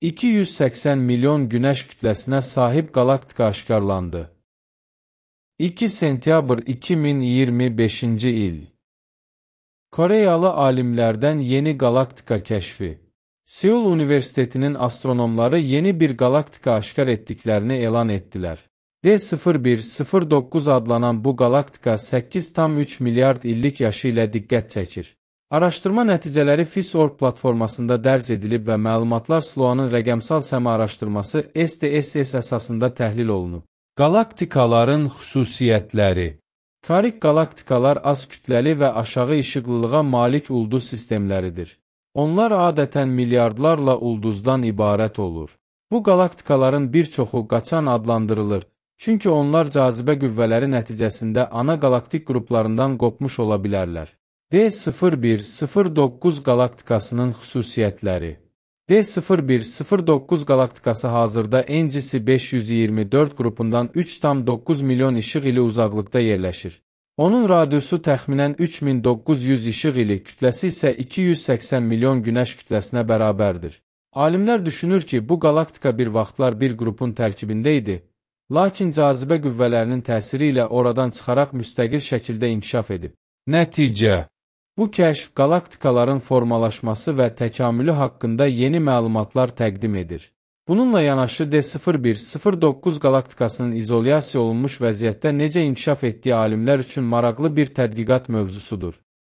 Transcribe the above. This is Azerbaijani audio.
280 milyon günəş kütləsinə sahib qalaktika aşkarlandı. 2 sentyabr 2025-ci il. Koreyalı alimlərdən yeni qalaktika kəşfi. Seul Universitetinin astronomları yeni bir qalaktika aşkar etdiklərini elan etdilər. D0109 adlanan bu qalaktika 8,3 milyard illik yaşı ilə diqqət çəkir. Araşdırma nəticələri FIS.org platformasında dərc edilib və məlumatlar SLOA'nın rəqəmsal səma araşdırması SDSS əsasında təhlil olunub. Qalaktikaların xüsusiyyətləri. Karik qalaktikalar az kütləli və aşağı işıqlılığa malik ulduz sistemləridir. Onlar adətən milyardlarla ulduzdan ibarət olur. Bu qalaktikaların bir çoxu qaçan adlandırılır, çünki onlar cazibə qüvvələri nəticəsində ana qalaktik qruplarından qopmuş ola bilərlər. D0109 qalaktikasının xüsusiyyətləri. D0109 qalaktikası hazırda NGC 524 qrupundan 3,9 milyon işıq ili uzaqlıqda yerləşir. Onun radiusu təxminən 3900 işıq ili, kütləsi isə 280 milyon günəş kütləsinə bərabərdir. Alimlər düşünür ki, bu qalaktika bir vaxtlar bir qrupun tərkibində idi, lakin cazibə qüvvələrinin təsiri ilə oradan çıxaraq müstəqil şəkildə inkişaf edib. Nəticə. Bu kəşf qalaktikaların formalaşması və təkamülü haqqında yeni məlumatlar təqdim edir. Bununla yanaşı D0109 qalaktikasının izolyasiya olunmuş vəziyyətdə necə inkişaf etdiyi alimlər üçün maraqlı bir tədqiqat mövzusudur.